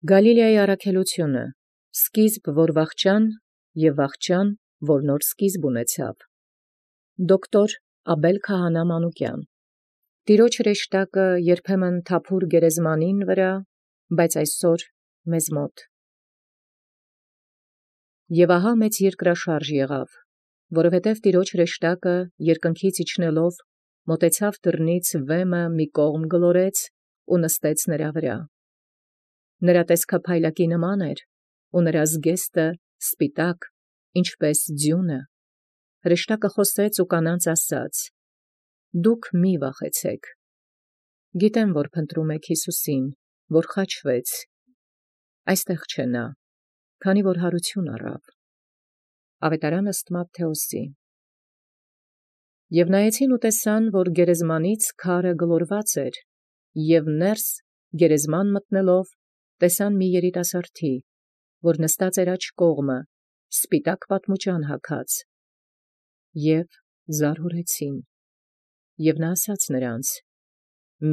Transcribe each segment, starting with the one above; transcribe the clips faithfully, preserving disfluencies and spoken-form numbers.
Գալիլեայի առաքելութիւնը, սկիզբ որ վախճան, և վախճան, որ նոր սկիզբ ունեցավ։ Դոկտոր Աբել Քահանա Մանուկյան։ Տիրոջ հրեշտակը երբեմն թափուր գերեզմանին վրա, բայց այսօր մեզ մոտ։ Եւ ահա մեծ երկրաշարժ եղավ, որովհետև տիրոջ հրեշտակը երկնքից իջնելով մոտեցավ դռնից վեմը մի կողմ գլորեց ու նստեց նրա վրա։ Նրա տեսքը փայլակի նման էր, ու նրա զգեստը սպիտակ, ինչպես ձյունը։ Հրեշտակը խոսեց ու կանանց ասաց. «Դուք մի վախեցեք. գիտեմ, որ փնտրում եք Յիսուսին, որ խաչվեց. այստեղ չէ նա, քանի որ հարություն առավ»։ Ավետարան ըստ Մատթեոսի։ Եւ նայեցին ու տեսան, որ գերեզմանից քարը գլորված էր, և ներս գերեզման մտնելով տեսան մի երիտասարդի, որ նստած էր աջ կողմը, սպիտակ պատմուջան հագած, և զարհուրեցին։ Եւ նա ասաց նրանց.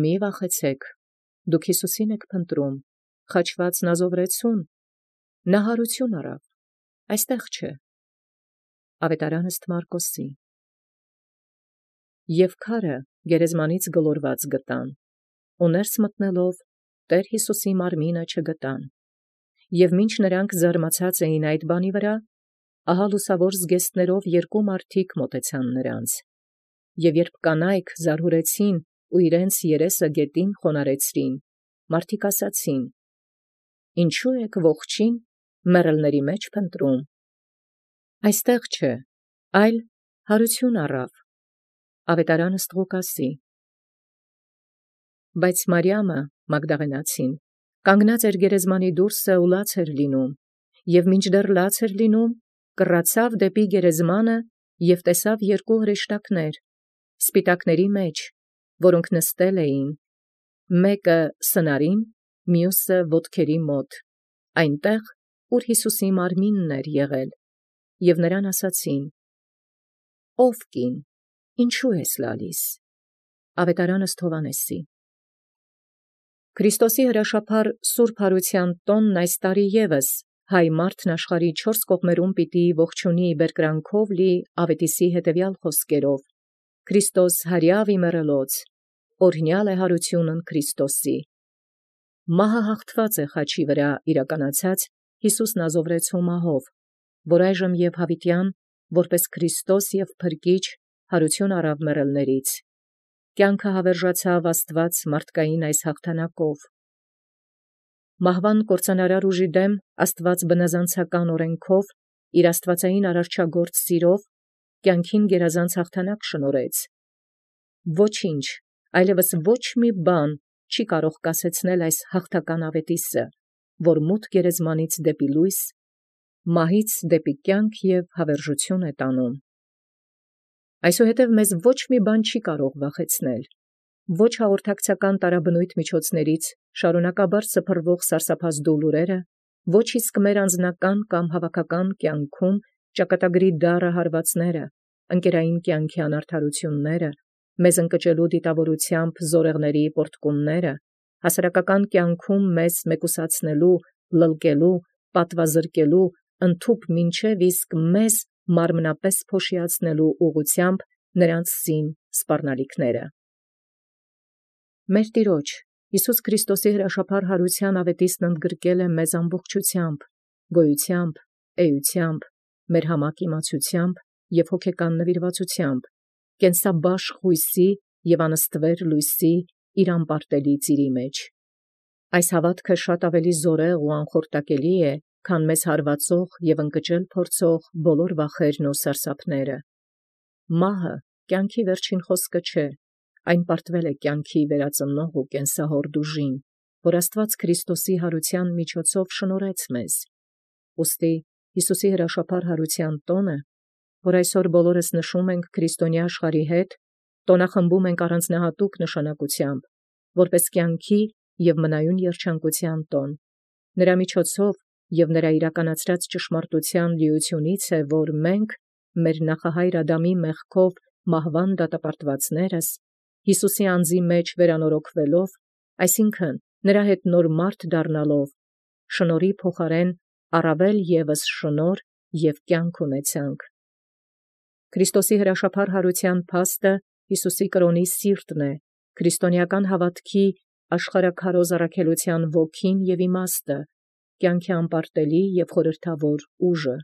«Մի վախեցեք, դուք Յիսուսին եք փնտրում, խաչված Նազովրեցուն, նա հարություն առավ, այստեղ չէ»։ Ավետարան ըստ Մարկոսի։ Եւ քարը գերեզմանից գլորված գտան, ու ներս մտնելով Տեր Յիսուսի մարմինը չգտան։ Եւ մինչ նրանք զարմացած էին այդ բանի վրա, ահա լուսավոր զգեստներով երկու մարդիկ մոտեցան նրանց։ Եւ երբ կանայք զարհուրեցին ու իրենց երեսը գետին խոնարհեցրին, մարդիկ ասացին. «Ինչո՞ւ եք ողջին մեռելների մեջ փնտրում. այստեղ չէ, այլ հարություն առավ»։ Ավետարան ըստ Ղուկասի։ Բայց Մարիամը Մագդաղենացին կանգնած էր գերեզմանի դուրսը ու լաց էր լինում, և մինչդեռ լաց էր լինում, կռացավ դեպի գերեզմանը և տեսավ երկու հրեշտակներ, սպիտակների մեջ, որոնք նստել էին, մեկը սնարին, մյուսը ոտքերի մոտ, այնտեղ, ուր Յիսուսի մարմինն էր եղել, և նրան ասացին. «Ո՛վ կին, ինչու ես լալիս»։ Ավետարան ըստ Հովհաննեսի։ Քրիստոսի հրաշափառ սուրբ հարության տոնն այս տարի ևս հայ մարդն աշխարհի չորս կողմերում պիտի ողջունի բերկրանքով լի Ավետիսի հետևյալ խոսքերով. «Քրիստոս հարյավ իմեռելոց, օրհնյալ է հարությունն Քրիստոսի»։ Մահը հաղթված է խաչի վրա իրականացած Յիսուս Նազովրեցու մահով, որ այժմ եւ հավիտյան, որպես Քրիստոս եւ փրկիչ, հարություն առավ մեռելներից, կյանքը հավերժացավ Աստված մարդկային այս հաղթանակով։ Մահվան կործանարար ուժի դեմ Աստված բնազանցական օրենքով իր աստվածային արարչագործ սիրով կյանքին գերազանց հաղթանակ շնորհեց։ Ոչինչ, այլևս ոչ մի բան չի կարող կասեցնել այս հաղթական ավետիսը, որ մութ գերեզմանից դեպի լույս, մահից դեպի կյանք և հավերժություն է տանում։ Այսուհետև մեզ ոչ մի բան չի կարող վախեցնել, ոչ հաղորդակցական տարաբնույթ միջոցներից շարունակաբար սփռվող սարսափազդու լուրերը, ոչ իսկ մեր անձնական կամ հավաքական կյանքում ճակատագրի դառը հարվածները, ընկերային կյանքի անարդարությունները, մեզ ընկճելու դիտավորությամբ զորեղների պոռթկումները, հասարակական կյանքում մեզ մեկուսացնելու, լլկելու, պատվազրկելու, ընդհուպ մինչև իսկ մեզ մարմնապես փոշիացնելու ուղղությամբ նրանց զին սպառնալիքները։ Մեր Տիրոջ Յիսուս Քրիստոսի հրաշափառ հարության ավետիսն ընդգրկել է մեզ ամբողջությամբ, գոյությամբ, էությամբ, մեր համակ իմացությամբ և հոգեկան նվիրվածությամբ, կենսաբաշխ հույսի և անստվեր լույսի իր անպարտելի ծիրի մեջ։ Այս հավատքը շատ ավելի զորեղ ու անխորտակելի է, քան մեզ հարվածող և ընկճել փորձող բոլոր վախերն ու սարսափները։ Մահը կյանքի վերջին խոսքը չէ, այն պարտվել է կյանքի վերածնող ու կենսահորդ ուժին, որ Աստված Քրիստոսի հարության միջոցով շնորհեց մեզ։ Ուստի Յիսուսի հրաշափառ հարության տոնը, որ այսօր բոլորս նշում ենք քրիստոնյա աշխարհի հետ, տոնախմբում ենք առանձնահատուկ նշանակությամբ, որպես կյանքի և մնայուն երջանկության տոն։ Նրա միջոցով և նրա իրականացրած ճշմարտության լիությունից է, որ մենք, մեր նախահայր Ադամի մեղքով մահվան դատապարտվածներս, Յիսուսի անձի մեջ վերանորոգվելով, այսինքն նրա հետ նոր մարդ դառնալով, շնորհի փոխարեն առավել ևս շնորհ և կյանք ունեցանք։ Քրիստոսի հրաշափառ յարութեան փաստը Յիսուսի կրոնի սիրտն է, քրիստոնեական հաւատքի աշխարհաքարոզ առաքելութեան ոգին և իմաստը, կյանքի անպարտելի և խորհրդավոր ուժը։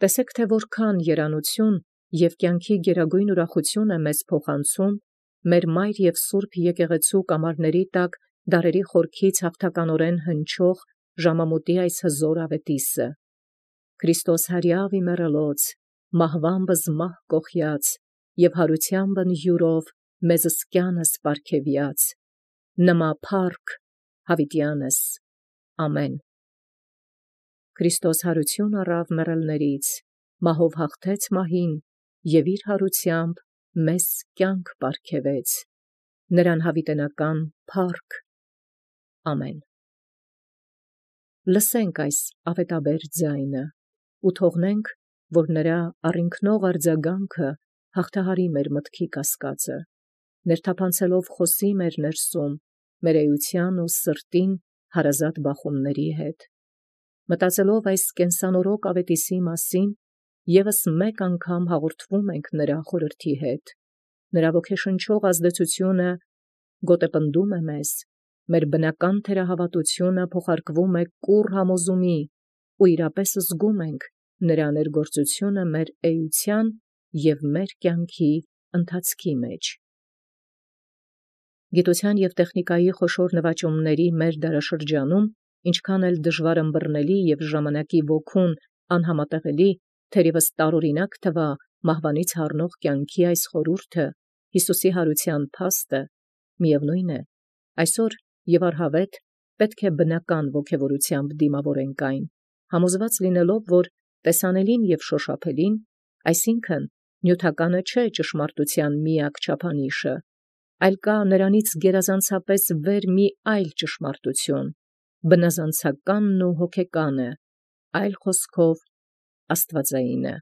Տեսէք թէ որքան երանութիւն և կյանքի գերագույն ուրախութիւն է մեզ փոխանցում մեր մայր և սուրբ եկեղեցու կամարների տակ դարերի խորքից հաղթականորեն հնչող ժամամուտի այս հզոր աւետիսը. «Քրիստոս հարյավ իմեռելոց, մահուամբս մահ կոխեաց, և յարութեամբն յուրով մեզսկյանս պարգևեաց, նմա փառք յաւիտեանս, ամեն»։ Քրիստոս յարութիւն առաւ մեռելներից, մահով հաղթեց մահին և իր յարութեամբն մեզ կյանք պարգևեց, նրան յաւիտենական փառք, ամեն։ Լսենք այս աւետաբեր ձայնը և թողնենք, որ նրա առինքնող արձագանքը հաղթահարի մեր մտքի կասկածը, ներթափանցելով խօսի մեր ներսում մեր էութեան և սրտին հարազատ բախումացն հետ։ Մտածելով այս կենսանորոգ աւետիսի մասին, եւս մեկ անգամ հաղորդվում ենք նրա խորհրդի հետ, նրա ոգեշնչող ազդեցութիւնը գոտեպնդում է մեզ, մեր բնական թերահաւատութիւնը փոխարկվում է կուռ համոզումի, և իրապես զգում ենք նրա ներգործութիւնը մեր էութեան և մեր կյանքի ընթացքի մեջ։ Գիտութեան և տեխնիկայի խոշոր նվաճումների մեր դարաշրջանում, ինչքան էլ դժուար ըմբռնելի և ժամանակի ոգուն անհամատեղելի թերևս տարօրինակ թվա մահվանից հառնող կյանքի այս խորհուրդը, Յիսուսի յարութեան փաստը, միևնույն է, այսօր և առհավետ պետք է բնական ոգևորութեամբ դիմաւորենք այն, համոզված լինելով, որ տեսանելին և շոշափելին, այսինքն նիւթականը չէ ճշմարտութեան միակ չափանիշը, այլ կա նրանից գերազանցապես վեր մի այլ ճշմարտութիւն, բնազանցականն ու հոգեկանը, այլ խոսքով՝ աստուածայինը։